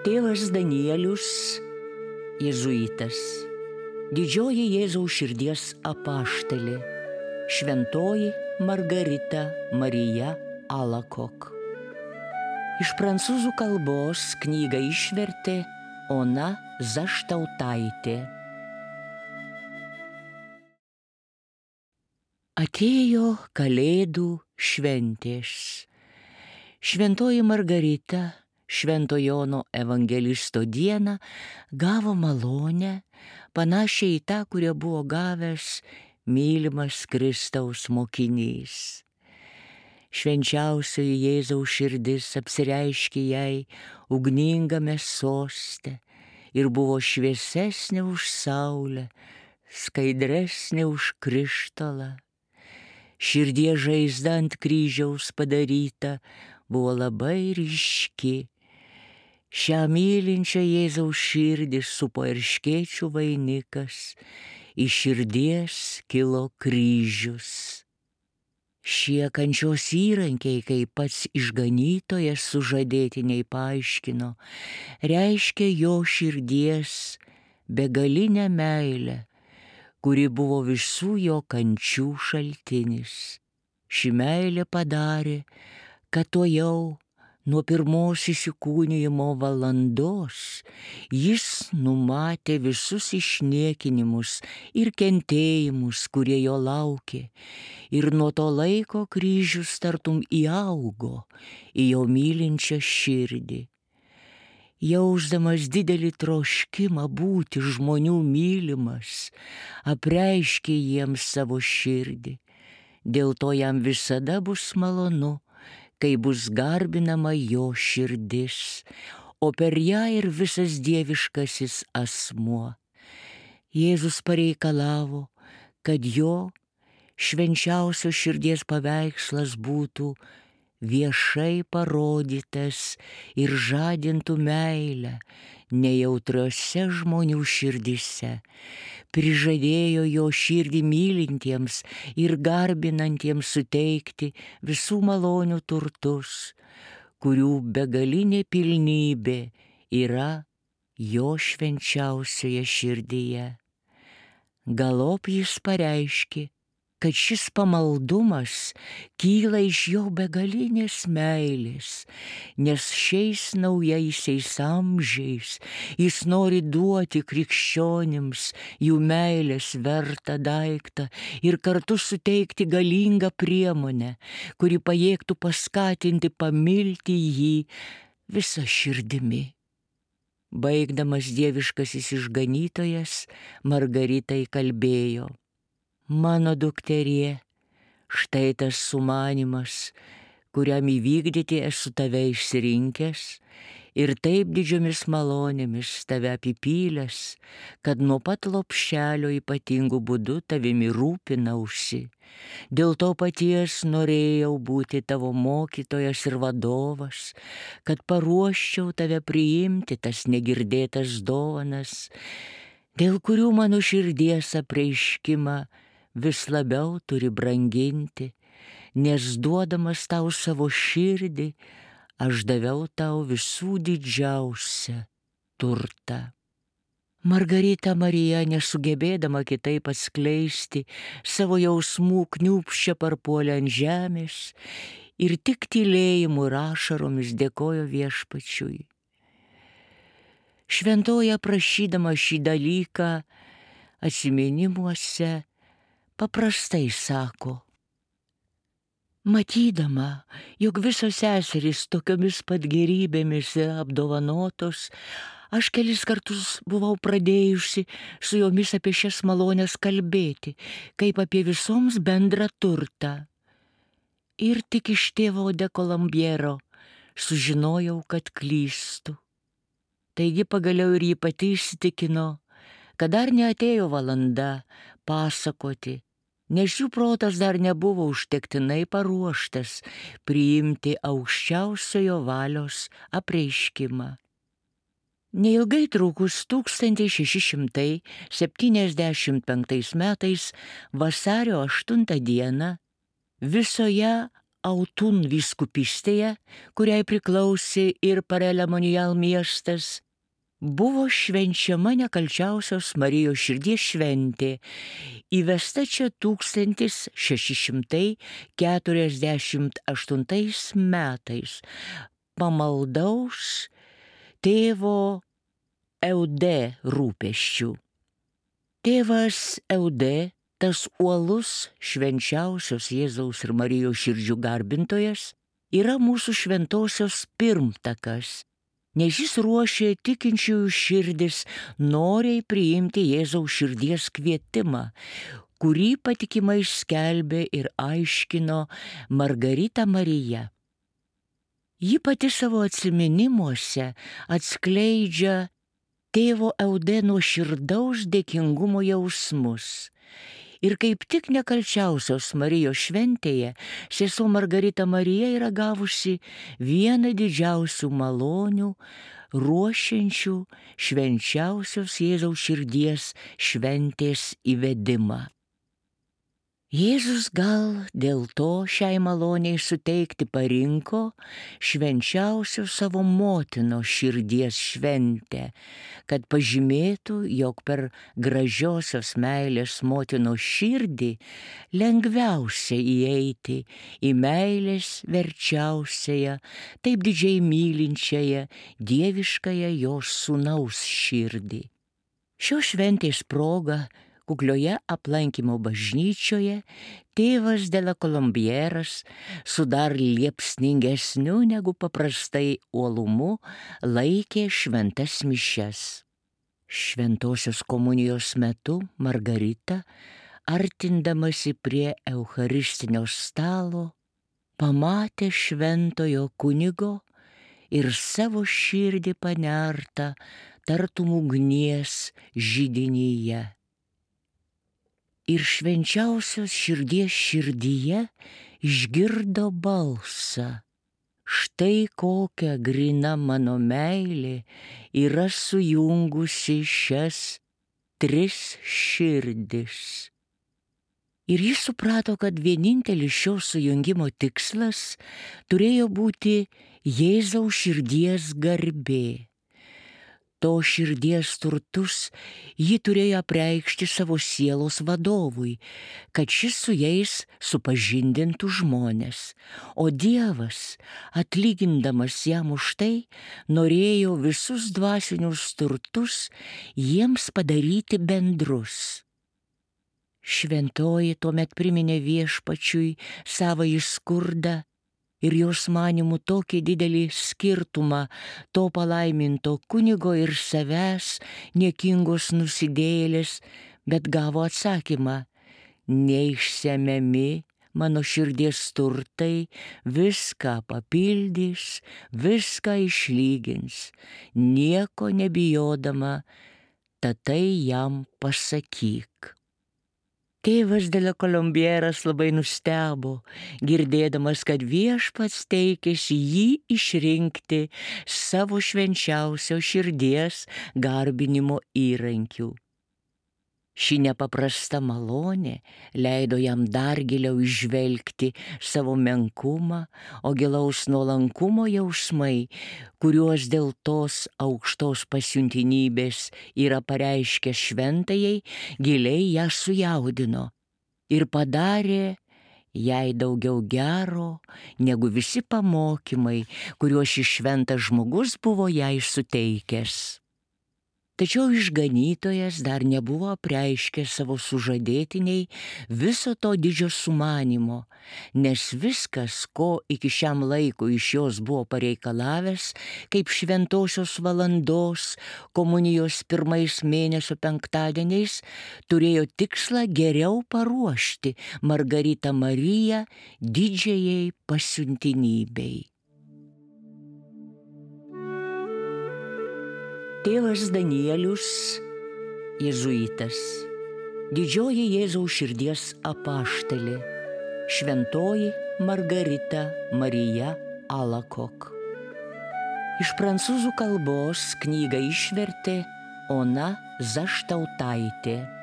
Tėvas Danielius, jėzuitas, didžioji Jėzaus širdies apaštalė, šventoji Margarita Marija Alacoque. Iš prancūzų kalbos knygą išvertė Ona Zaštautaitė. Atėjo Kalėdų šventės. Šventoji Margarita Švento Jono evangelisto dieną gavo malonę, panašią į tą, kurią buvo gavęs mylimas Kristaus mokinys. Švenčiausioji Jėzaus širdis apsireiškė jai ugningame soste ir buvo šviesesnė už saulę, skaidresnė už krištolą. Širdies žaizda ant kryžiaus padaryta buvo labai ryški. Šią mylinčią Jėzaus širdį supo erškėčių vainikas, iš širdies kilo kryžius. Šie kančios įrankiai, kaip pats išganytojas sužadėtiniai paaiškino, reiškia jo širdies begalinę meilę, kuri buvo visų jo kančių šaltinis. Ši meilė padarė, kad tuojau nuo pirmos įsikūnijimo valandos jis numatė visus išniekinimus ir kentėjimus, kurie jo laukė, ir nuo to laiko kryžius tartum įaugo į jo mylinčią širdį. Jausdamas didelį troškimą būti žmonių mylimas, apreiškė jiems savo širdį. Dėl to jam visada bus malonu, kai bus garbinama jo širdis, o per ją ir visas dieviškasis asmuo. Jėzus pareikalavo, kad jo švenčiausios širdies paveikslas būtų viešai parodytas ir žadintų meilę nejautriose žmonių širdise. Prižadėjo jo širdį mylintiems ir garbinantiems suteikti visų malonių turtus, kurių begalinė pilnybė yra jo švenčiausioje širdyje. Galop jis pareiškė, kad šis pamaldumas kyla iš jo begalinės meilės, nes šiais naujaisiais amžiais jis nori duoti krikščionims jų meilės vertą daiktą ir kartu suteikti galingą priemonę, kuri pajėgtų paskatinti pamilti jį visą širdimi. Baigdamas dieviškasis išganytojas Margaritai kalbėjo: Mano dukterie, štai tas sumanymas, kuriam įvykdyti esu tave išsirinkęs ir taip didžiomis malonėmis tave apipylęs, kad nuo pat lopšelio ypatingų būdų tavimi rūpinausi. Dėl to paties norėjau būti tavo mokytojas ir vadovas, kad paruoščiau tave priimti tas negirdėtas dovanas, dėl kurių mano širdies apreiškimą vis labiau turi branginti, nes duodamas tau savo širdį, aš daviau tau visų didžiausią turtą. Margarita Marija, nesugebėdama kitaip atskleisti savo jausmų, kniūbsčia parpuolė ant žemės ir tik tylėjimu ir ašaromis dėkojo Viešpačiui. Šventoji aprašydama šį dalyką atsiminimuose paprastai sako: matydama, jog visos seserys tokiomis pat gėrybėmis yra apdovanotos, aš kelis kartus buvau pradėjusi su jomis apie šias malonės kalbėti, kaip apie visoms bendrą turtą. Ir tik iš tėvo de Colombiero sužinojau, kad klystu. Taigi pagaliau ir ji pati įsitikino, kad dar neatėjo valanda pasakoti, nes jų protas dar nebuvo užtektinai paruoštas priimti aukščiausiojo valios apreiškimą. Neilgai trukus 1675 metais vasario 8 dieną visoje Autun vyskupystėje, kuriai priklausė ir Parelemonial miestas, buvo švenčiama nekalčiausios Marijos širdies šventė, įvesta čia 1648 metais pamaldaus tėvo Eudė rūpesčių. Tėvas Eudė, tas uolus švenčiausios Jėzaus ir Marijos širdžių garbintojas, yra mūsų šventosios pirmtakas, nes jis ruošė tikinčiųjų širdis noriai priimti Jėzaus širdies kvietimą, kurį patikimai skelbė ir aiškino Margarita Marija. Ji pati savo atsiminimuose atskleidžia tėvo Eudė nuoširdaus dėkingumo jausmus. Ir kaip tik nekalčiausios Marijos šventėje sesuo Margarita Marija yra gavusi vieną didžiausių malonių, ruošiančių švenčiausios Jėzaus širdies šventės įvedimą. Jėzus gal dėl to šiai maloniai suteikti parinko švenčiausios savo motinos širdies šventę, kad pažymėtų, jog per gražiosios meilės motinos širdį lengviausia įeiti į meilės verčiausiąją, taip didžiai mylinčiąją, dieviškąją jos sūnaus širdį. Šios šventės proga kuklioje aplankymo bažnyčioje tėvas de la Colombieras su dar liepsningesniu negu paprastai uolumu laikė šventas mišias. Šventosios komunijos metu Margarita, artindamasi prie eucharistinio stalo, pamatė šventojo kunigo ir savo širdį panertą tartum ugnies židinyje. Ir švenčiausios širdies širdyje išgirdo balsą: štai kokia grina mano meilė yra sujungusi šias tris širdis. Ir jis suprato, kad vienintelis šio sujungimo tikslas turėjo būti Jėzaus širdies garbė. To širdies turtus ji turėjo apreikšti savo sielos vadovui, kad šis su jais supažindintų žmones, o Dievas, atlygindamas jam už tai, norėjo visus dvasinius turtus jiems padaryti bendrus. Šventoji tuomet priminė viešpačiui savąjį skurdą ir jos manymų tokį didelį skirtumą to palaiminto kunigo ir savęs niekingos nusidėjėlės, bet gavo atsakymą: neišsemiami mano širdies turtai viską papildys, viską išlygins, nieko nebijodama, tad tai jam pasakyk. Tėvas de la Colombieras labai nustebo, girdėdamas, kad viešpats teikėsi jį išrinkti savo švenčiausio širdies garbinimo įrankiu. Ši nepaprasta malonė leido jam dar giliau įžvelgti savo menkumą, o gilaus nuolankumo jausmai, kuriuos dėl tos aukštos pasiuntinybės yra pareiškęs šventajai, giliai ją sujaudino ir padarė jai daugiau gero negu visi pamokymai, kuriuos šis šventas žmogus buvo jai suteikęs. Tačiau išganytojas dar nebuvo apreiškęs savo sužadėtiniai viso to didžio sumanimo, nes viskas, ko iki šiam laikui iš jos buvo pareikalavęs, kaip šventosios valandos komunijos pirmais mėnesio penktadieniais, turėjo tikslą geriau paruošti Margaritą Mariją didžiajai pasiuntinybei. Tėvas Danielius, jėzuitas, didžioji Jėzaus širdies apaštalė, šventoji Margarita Marija Alacoque. Iš prancūzų kalbos knygą išvertė Ona Zaštautaitė.